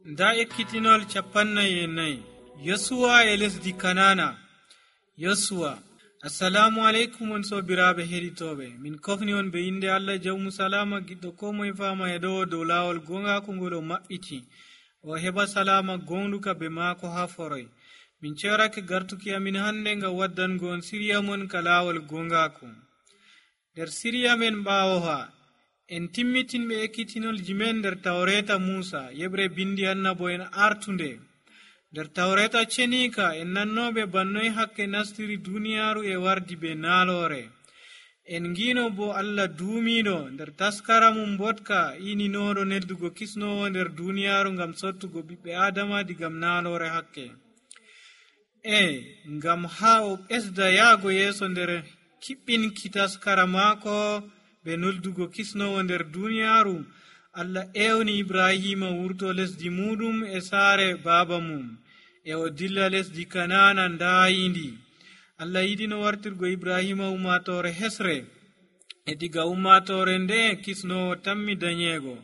nda ekkitinol 44 yosuwa e lesdi kanana. yosuwa assalamu aleykum on sobiraɓe heɗitoɓe, min kofni on be inde allah jawmu salama giɗɗo ko moye fama e ɗo dow lawol gongaku ngol o maɓɓiti o heɓa salama gonɗuka be maako ha foroy. min cerake gartuki amin hande ngam waddango on siriya mon ka lawol gongaku. nder siriya men ɓawo ha en timmitinɓe ekkitinolji men nder tawreta musa yeɓre bindi annabo en artunde. nder tawreta cenika en nannoɓe bannoy hakke nastiri duniyaru e wardi be naalore. en ngino bo allah duumiɗo nder taskara mum botka ininoɗo neddugo kisnowo nder duniyaru ngam sottugo ɓiɓɓe adama digam naalore hakke. ngam ha o ɓesda yaago yeeso nder kiɓɓinki taskara maako be nuldugo kisnowo nder duniyaru, allah ewni ibrahima wurto lesdi muɗum e saare baaba mum e o dilla lesdi kanana ndayindi. allah yiɗino wartirgo ibrahima ummatore hesre e diga ummatore nde kisnowo tammi dañego.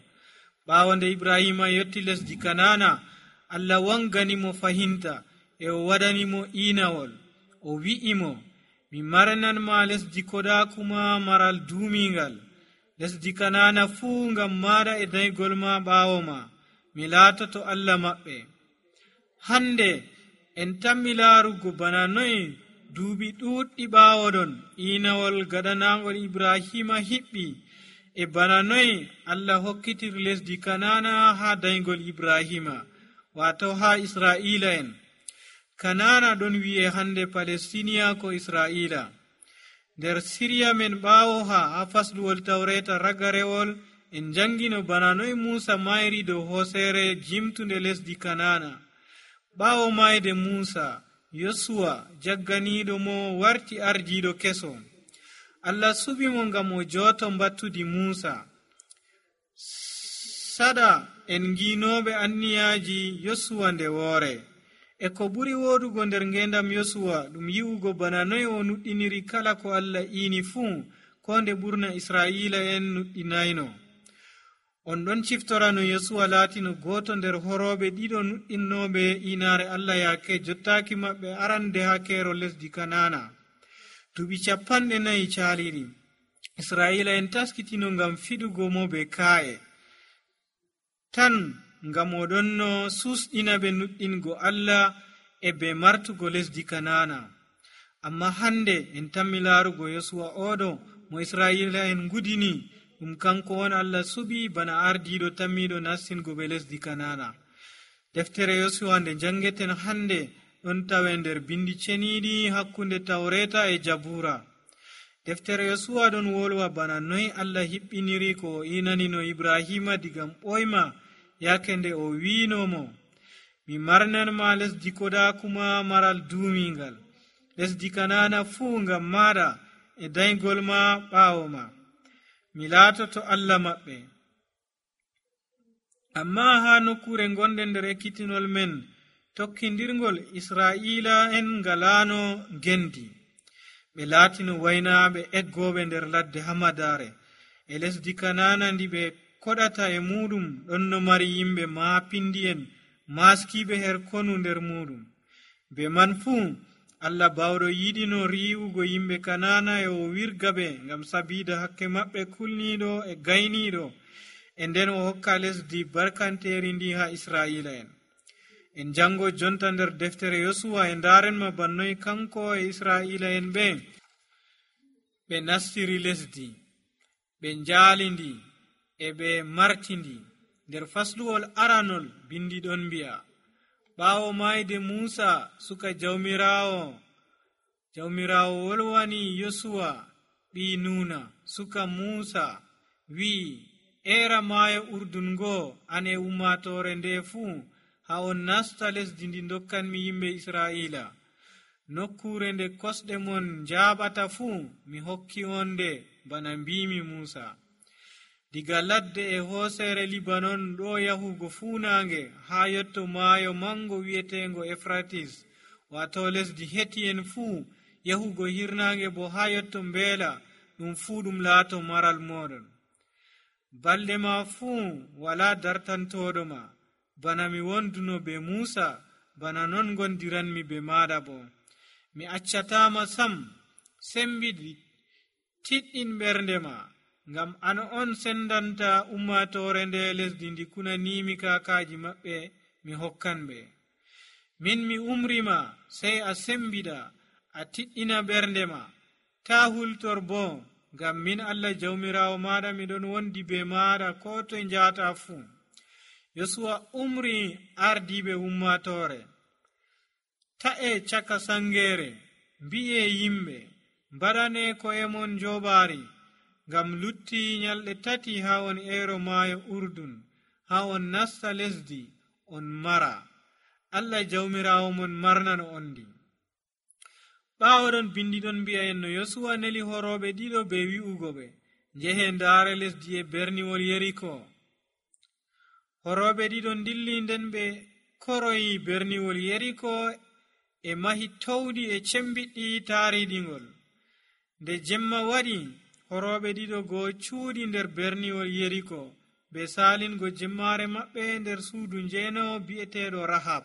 ɓawo nde ibrahima yetti lesdi kanana, allah wanganimo fahinta e o waɗanimo inawol. o wi'imo, mi marananma lesdi kodakuma maral duumingal, lesdi kanana fuu ngam maɗa e daygol ma ɓawo ma, mi laatoto allah maɓɓe. hande en tammi laarugo bana noy duuɓi ɗuɗɗi ɓawo ɗon inawol gaɗanagol ibrahima hiɓɓi, e bana noy allah hokkitir lesdi kanana ha daygol ibrahima, wato ha israila en. kanana ɗon wi'e hande palestiniya ko israila. nder siriya men ɓawo ha fasluwol tawreta ragarewol en jangino bana noy musa mayri dow hosere jimtunde lesdi kanana. ɓawo mayde musa, yosuwa jagganiɗo mo warti ardiɗo keso. allah subimo ngam o joto mbattudi musa. sada en nginoɓe anniyaji yosuwa nde woore. e ko ɓuri wodugo nder ngendam yosuwa ɗum yi'ugo bana noy o nuɗɗiniri kala ko allah ini fuu, ko nde ɓurna israila en nuɗɗinayno. on ɗon ciftorano yosuwa laatino goto nder horoɓe ɗiɗo nuɗɗinnoɓe inare allah yake jottaki maɓɓe arande ha kero lesdi kanana. duuɓi 40 caliɗi israila en taskitino ngam fiɗugo mo be ka'e tan, ngam oɗon no susɗina ɓe nuɗɗingo allah e be martugo lesdi kanana. amma hande en tammi laarugo yosuwa oɗo mo israila en gudini, ɗum kanko on allah suɓi bana ardiɗo tammiɗo nastingo ɓe lesdi kanana. deftere yosuwa nde jangeten hande ɗon tawe nder bindi ceniɗi hakkunde tawreta e jabura. deftere yosuwa ɗon wolwa bana noy allah hiɓɓiniri ko o inanino ibrahima digam ɓoyma yake nde o wiinomo, mi marnanma lesdi kodakuma maral duumingal, lesdi kanana fuu ngam maɗa e daygol ma ɓawo ma, mi laatoto allah maɓɓe. amma ha nokkure gonɗe nder ekkitinol men tokkidirgol, israila en ngalano gendi. ɓe laatino waynaɓe eggoɓe nder ladde hamadare e lesdi kanana ndi ɓe koɗata e muɗum ɗon no mari yimɓe maapindi en maskiɓe her konu nder muɗum. be man fuu allah bawɗo yiɗino riwugo yimɓe kanana e o wirga ɓe ngam sabida hakke maɓɓe kulniɗo e gayniɗo, e nden o hokka lesdi barkanteri ndi ha israila en. en jango jonta nder deftere yosuwa e ndarenma bannoy kanko e israila en ɓe nastiri lesdi, ɓe njaalindi e ɓe martindi. nder fasluwol aranol bindi ɗon mbi'a, ɓawo mayde musa suka jawmirawo wolwani yosuwa ɓi nuna suka musa, wi'i, era maayo urdun ngoo an e ummatore nde fuu ha on nasta lesdi ndi dokkanmi yimɓe israila. nokkure nde kosɗe mon jaɓata fuu mi hokki on nde bana mbimi musa. diga ladde e hosere libanon ɗo yahugo funange ha yotto maayo mango wi'etengo efratis, wato lesdi heti en fuu, yahugo hirnange bo ha yotto mbeela, ɗum fuu ɗum laato maral moɗon. balɗe ma fuu wala dartantoɗo ma, bana mi wonduno be Muusa, bana non gondiranmi be maada bo. Mi accatama sam. Sembidi tiɗɗin ɓernde ma, ngam an on sendanta ummatore nde lesdi ndi kunanimi kakaji maɓɓe mi hokkan ɓe. Min mi umrima, sey a sembida, a tiɗɗina ɓernde ma. Ta hultor bo, ngam min Allah jawmirawo maɗa miɗon wondi be maɗa ko toye njata fuu. Yosuwa umri ardiɓe ummatore. Ta'e caka sangere, mbi'e yimɓe, mbaɗane ko'emon joɓari, ngam lutti nyalɗe 3 ha on eero maayo Urdun, ha on nasta lesdi on mara. Allah jawmirawo mon marnano on ndi. Ɓawoɗon bindiɗon mbi'a en no Yosuwa neli horoɓe ɗiɗo be wi'ugo ɓe, njehe ndaare lesdi e berniwol Yeriko. Horoɓe ɗiɗo dilli, nden ɓe koroyi berniwol Yeriko e mahi towɗi e cembiɗɗi taariɗingol. Nde jemma waɗi, horoɓe ɗiɗo go cuuɗi nder berniwol Yeriko be salingo jemmare maɓɓe nder suudu njeenowo bi'eteɗo Rahab.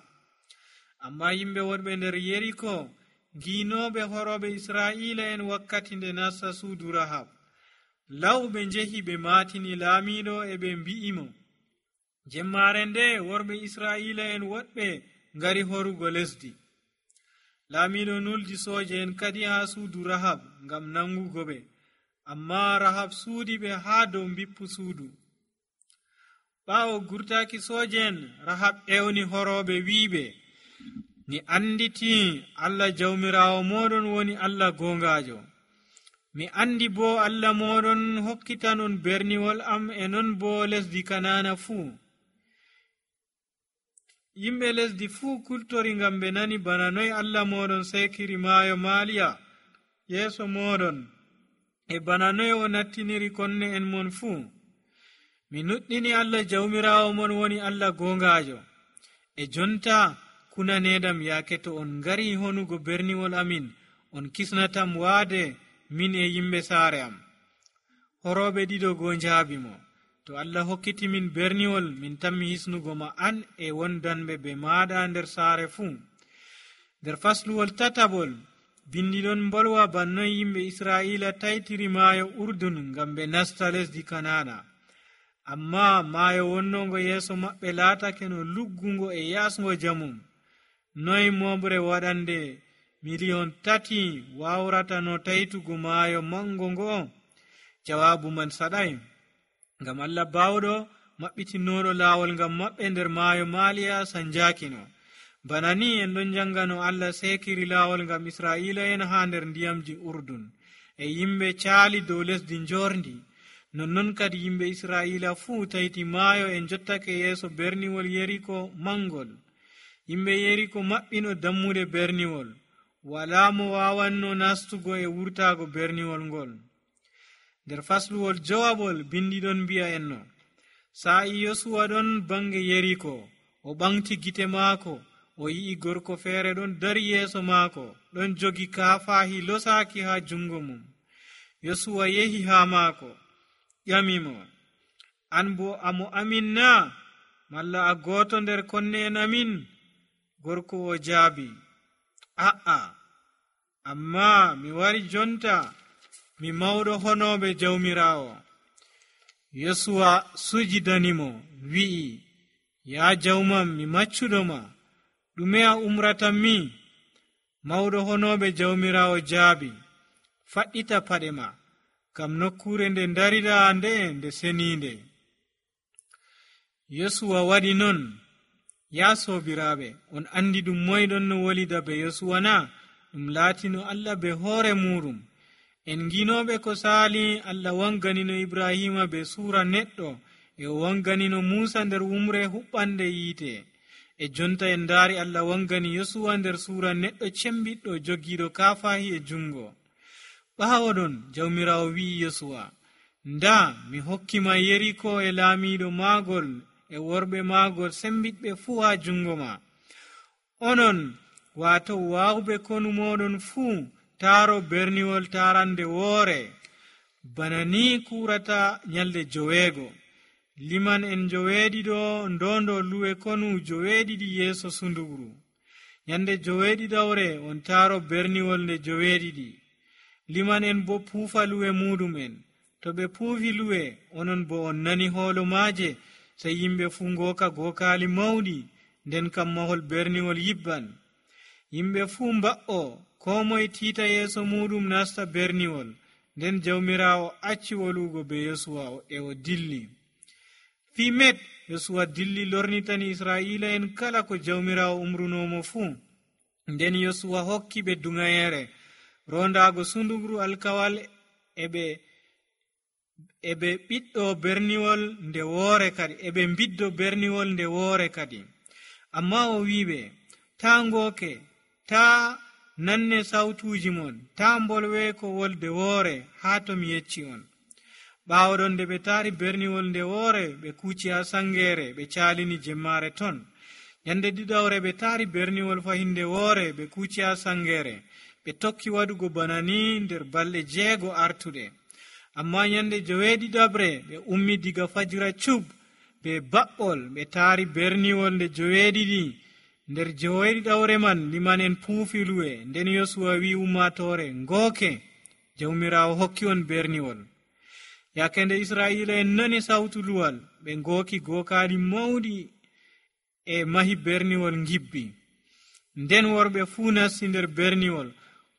Amma yimɓe wonɓe nder Yeriko giinoɓe horoɓe Israa'ila en wakkati nde nasta suudu Rahab. Law ɓe njehi ɓe maatini laamiɗo e ɓe mbi'imo, jemmare nde worɓe Israa'ila en woɗɓe ngari horugo lesdi. Laamiɗo nuldi sooje en kadi ha suudu Rahab ngam nangugo ɓe, amma Rahab suudi ɓe ha dow bippu suudu. Ɓawo gurtaki sooje en, Rahab ewni horoɓe wiiɓe, mi anditi Allah jawmirawo moɗon woni Allah gongajo. Mi andi bo Allah moɗon hokkitanon berniwol am e non bo lesdi Kanana fuu. Yimɓe lesdi fuu kultori ngam ɓe nani bana noy Allah moɗon sekiri maayo Maliya yeeso moɗon, e bana noy o nattiniri konne en mon fuu. Mi nuɗɗini Allah jawmirawo mon woni Allah gongajo. E jonta kunanedam yaake to on ngari honugo berniwol amin, on kisnatam waade min e yimɓe saare am. Horoɓe ɗiɗo go njaabimo, to Allah hokkiti min berniwol, min tammi hisnugo ma an e wondanɓe be maɗa nder saare fuu. Nder fasluwol 3 bindiɗon mbolwa bannoy yimɓe Israa'ila taytiri maayo Urdun ngam ɓe nasta lesdi Kanana. Amma maayo wonnongo yeeso maɓɓe laatake no luggungo e yasgo jamum. Noy moɓre waɗande 3 wawrata no taytugo maayo mango ngo? Jawaabu man saɗay, ngam Allah bawɗo maɓɓitinoɗo laawol ngam maɓɓe nder maayo Maliya sanjakino. Bana ni en ɗon jangano Allah sekiri laawol ngam Israa'ila en ha nder ndiyamji Urdun, e yimɓe caali dow lesdi njorndi. Nonnon kadi yimɓe Israa'ila fuu tayti maayo e jottake yeeso berniwol Yeriko mangol. Yimɓe Yeriko maɓɓino dammude berniwol, wala mo wawanno nastugo e wurtago berniwol ngol. Nder fasluwol 5 bindiɗon mbi'a en no, sa'i Yosuwa ɗon bange Yeriko, o ɓamti gite maako, o yi'i gorko feere ɗon dari yeeso maako, ɗon jogi kaafahi losaaki ha jungo mum. Yosuwa yehi ha maako, ƴamimo, an bo amo amin na, malla a gooto nder konne en amin? Gorko o jaabi, a'a, amma mi wari jonta, mi mawɗo honoɓe jawmirawo. Yosuwa sujidanimo, wi'i, ya jawmam, mi maccuɗoma, ɗume a umratan mi? Mawɗo honoɓe jawmirawo jaabi, faɗɗita paɗe ma, kam nokkure nde darida nde seninde. Yosuwa waɗi non. Ya sobiraɓe, on andi ɗum moyɗon no wolida be Yosuwa na? Ɗum laatino Allah be hoore muɗum. En ginoɓe ko saali, Allah wanganino Ibrahima be suura neɗɗo, e o wanganino Musa nder wumre huɓɓande yiite. E jonta en ndaari Allah wangani Yosuwa nder suura neɗɗo cembiɗɗo jogiiɗo kaafahi e jungo. Ɓaawoɗon jawmirawo wi'i Yosuwa, nda mi hokkima Yeriko e laamiɗo maagol e worɓe maagol sembiɗɓe fuu ha jungo ma. Onon wato wawɓe konu moɗon fuu taaro berniwol tarande woore, bana ni kurata nyalde 9. liman en joweeɗiɗo ndondo luwe konu joweeɗiɗi yeeso sundugru. Nyande joweeɗiɗawre on taaro berniwol nde joweeɗiɗi. Liman en bo puufa luwe muɗum en. To ɓe puufi luwe, onon bo on nani hoolo maaje, sey yimɓe fuu ngooka gookaali mawɗi, nden kam mahol berniwol yibban. Yimɓe fuu mba'o, koo moye tiita yeeso muɗum nasta berniwol, nden jawmiraawo acci wolugo be Yosuwa e o dilli. Fii met Yosuwa dilli lornitani Israa'iila en kala ko jawmiraawo umrunomo fuu. Nden Yosuwa hokki ɓe duŋayere rondaago sundugru alkawal eɓe ɓiɗɗo berniwol nde woore kadi eɓe mbiddo berniwol nde woore kadi. Amma o wi'iɓe, taa ngooke, taa nanne sawtuuji mon, taa mbolwe ko wolde woore haa to mi yecci on. Ɓaawo ɗon nde ɓe taari berniwol nde woore, ɓe kuuci haa sangeere, ɓe caalini jemmaare ton. Nyande ɗiɗawre ɓe taari berniwol fahinde woore, ɓe kuuci haa sangeere, ɓe tokki waɗugo bana ni nder balɗe 6 artuɗe. Amma nyande joweeɗiɗaɓre ɓe ummi diga fajira cub be baɓɓol, ɓe taari berniwol nde joweeɗiɗi. Nder joweeɗiɗawre man liman en puufi luwe. Nden Yosuwa wi ummatore, ngooke, jawmiraawo hokki on berniwol. Yake nde Israa'iila en nani sawtu luwal, ɓe ngooki gookaali mawɗi e mahi berniwol ngibbi. Nden worɓe fuu nasti nder berniwol,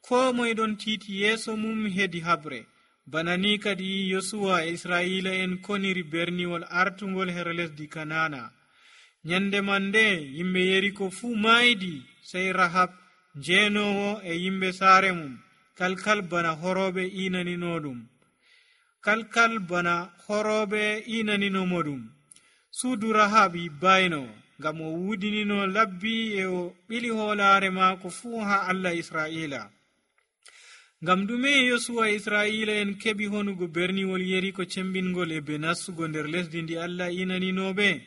koo moye ɗon tiiti yeeso mum hedi habre. Bana ni kadi Yosuwa e Israa'iila en koniri berniwol artungol her lesdi Kanana. Nyande man nde yimɓe Yeriko fuu maaydi, sey Rahab jeenowo e yimɓe saare mum kalkal bana horooɓe iinaninomo ɗum. Suudu Rahab yibbayno, ngam o wuudinino labbi e o ɓili hoolaare maako fuu haa Allah Israa'iila. Ngam ɗume Yosuwa e Israa'iila en keɓi honugo berniwol Yeriko cembingol e be nastugo nder lesdi ndi Allah iinaninoɓe?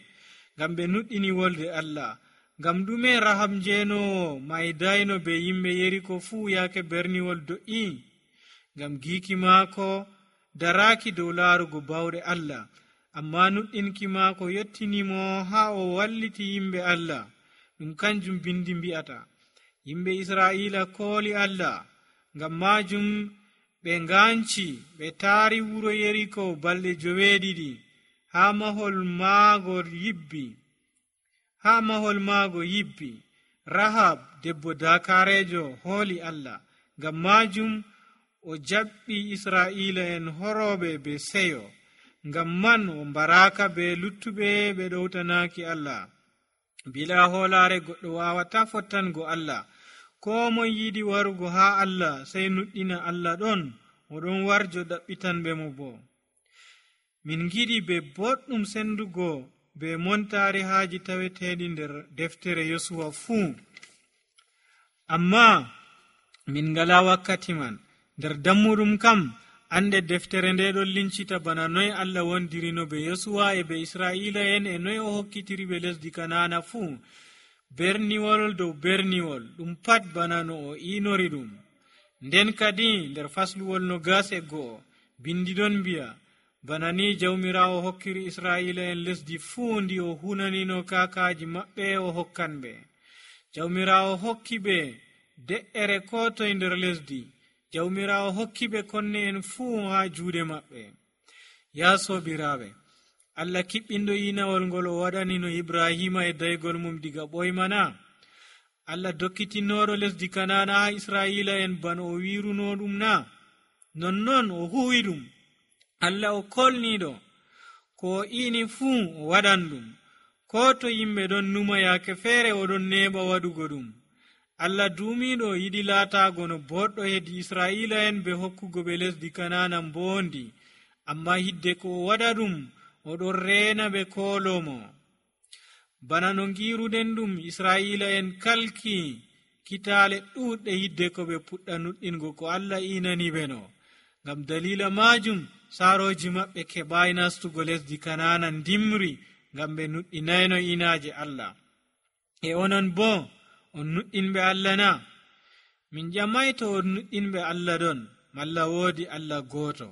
Ngam ɓe nuɗɗini wolde Allah. Ngam ɗume Rahab jeenowo maydayno be yimɓe Yeriko fuu yaake berniwol do'i? Ngam giiki maako daraaki dow laarugo bawɗe Allah, amma nuɗɗinki maako yottinimo haa o walliti yimɓe Allah. Ɗum kanjum bindi mbi'ata, yimɓe Israa'iila kooli Allah. Ngam maajum ɓe ngaanci, ɓe taari wuro Yeriko balɗe 9 haa mahol maago yibbi. Rahab debbo dakareejo hooli Allah. Ngam maajum o jaɓɓi Israa'iila en horooɓe be seyo. Ngam man o mbaraaka be luttuɓe ɓe ɗowtanaaki Allah. Bila hoolaare goɗɗo waawata fottango Allah. Koo moye yiɗi warugo haa Allah sey nuɗɗina Allah ɗon, oɗon warjo ɗaɓɓitanɓe mo bo. Min giɗi be boɗɗum sendugo be montaari haaji taweteeɗi nder deftere Yosuwa fuu. Amma min ngala wakkati man. Nder dammuɗum kam, ande deftere nde ɗon lincita bana noy Allah wondirino be Yosuwa e be Israa'iila en e noy o hokkitiri be lesdi Kanana fuu. Berniwol dow berniwol, ɗum pat bana no o inori ɗum. Nden kadi nder fasluwol 21 bindi ɗon mbi'a, bana ni jawmiraawo hokkiri Israa'iila en lesdi fuu ndi o hunanino kaakaaji maɓɓe o hokkanɓe. Jawmiraawo hokki ɓe de'ere ko toye nder lesdi. Jawmiraawo hokki ɓe konne en fuu haa juuɗe maɓɓe. Yaa soobiraaɓe, Allah kiɓɓinɗo inawol ngol o waɗanino Ibrahima e daygol mum diga ɓoymana. Allah dokkitinoɗo lesdi Kanana haa Israa'iila en bano o wiruno ɗum na? Nonnon o huwi ɗum. Allah o kolniɗo ko o ini fuu o waɗan ɗum. Ko to yimɓe ɗon numa yaake feere oɗon neɓa waɗugo ɗum. Allah duumiɗo yiɗi laataago no boɗɗo hedi Israa'iila en be hokkugo ɓe lesdi Kanana mboondi. Amma hidde ko o waɗa ɗum, oɗon reena ɓe koolomo. Bana no ngiruɗen ɗum, Israa'iila en kalki kitaale ɗuuɗɗe hidde ko ɓe puɗɗa nuɗɗingo ko Allah inani ɓe no. Ngam dalila maajum, saarooji maɓɓe keɓaayi nastugo lesdi Kanana ndimri, ngam ɓe nuɗɗinayno inaaje Allah. E onon boo, on nuɗɗinɓe Allah na? Min ƴamay to on nuɗɗinɓe Allah ɗon, malla woodi Allah gooto.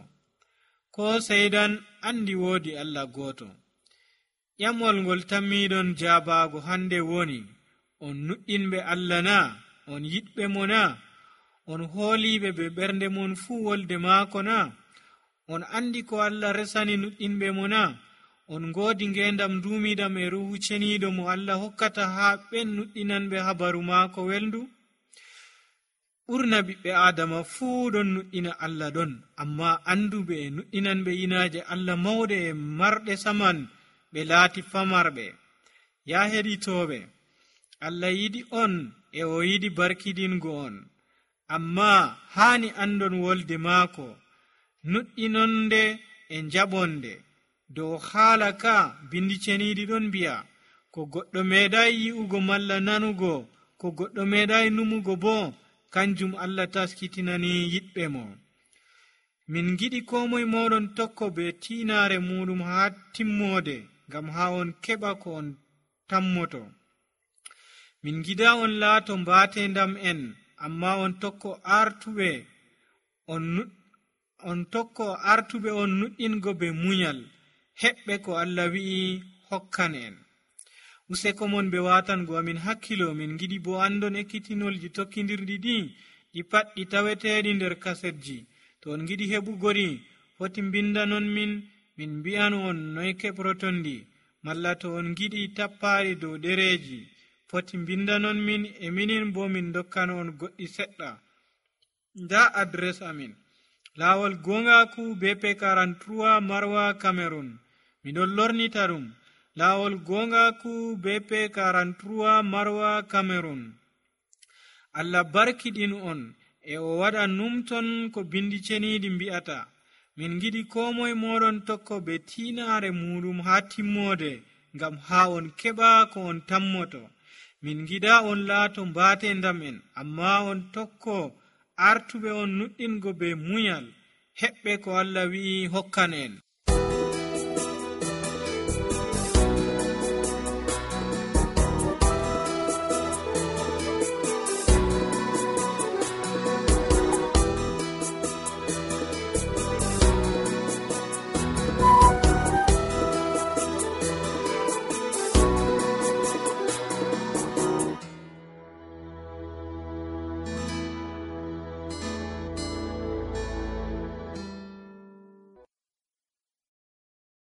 Ko seydan andi woodi Allah gooto. ƴamol ngol tammiɗon jabaago hande woni: on nuɗɗinɓe Allah na? On yiɗɓe mo na? On hooliɓe be ɓernde mon fuu wolde maako na? On andi ko Allah resani nuɗɗinɓe mo na? On ngoodi ngendam duumidam e ruhu ceniiɗo mo Allah hokkata haa ɓen nuɗɗinanɓe habaru maako welndu? ɓurna ɓiɓɓe aadama fuu ɗon nuɗɗina Allah ɗon, amma anduɓe e nuɗɗinanɓe inaaje Allah mawɗe e marɗe saman ɓe laati famarɓe. Ya heɗitooɓe, Allah yiɗi on e o yiɗi barkidingo on, amma haani andon wolde maako, nuɗɗinonde e jaɓonde. Dow haala ka bindi ceniiɗi ɗon mbi'a, ko goɗɗo meeɗay yi'ugo malla nanugo, ko goɗɗo meeɗay numugo bo, kanjum Allah taskitinani yiɗɓe mo. Min giɗi ko moye moɗon tokko be tiinaare muɗum haa timmoode, ngam haa on keɓa ko on tammoto. Min gida on laato mbaatendam en, amma on tokko artuɓe on nuɗɗingo be munyal, heɓɓe ko Allah wi'i hokkan en. Useko mon be watango amin hakkilo. Min giɗi bo andon ekkitinolji tokkidirɗi ɗi pat ɗi taweteɗi nder kasetji. To on giɗi heɓugori, foti bindanon min mbi'an on noy keɓrotondi, malla to on giɗi tappaɗi dow ɗereji, foti bindanon min e minin bo min dokkan on goɗɗi seɗɗa. Nda adres amin: Lawol Gongaku BP 43 Marwa Cameroon. Miɗon lornita ɗum: Lawol Gongaku BP 43 Marwa Cameroon. Allah barkiɗin on e o waɗa numton ko bindi ceniiɗi mbi'ata. Min giɗi ko moye moɗon tokko be tiinaare muɗum haa timmoode, ngam haa on keɓa ko on tammoto. Min giɗa on laato mbaatendam en, amma on tokko artuɓe on nuɗɗingo be munyal, heɓɓe ko Allah wi'i hokkan en.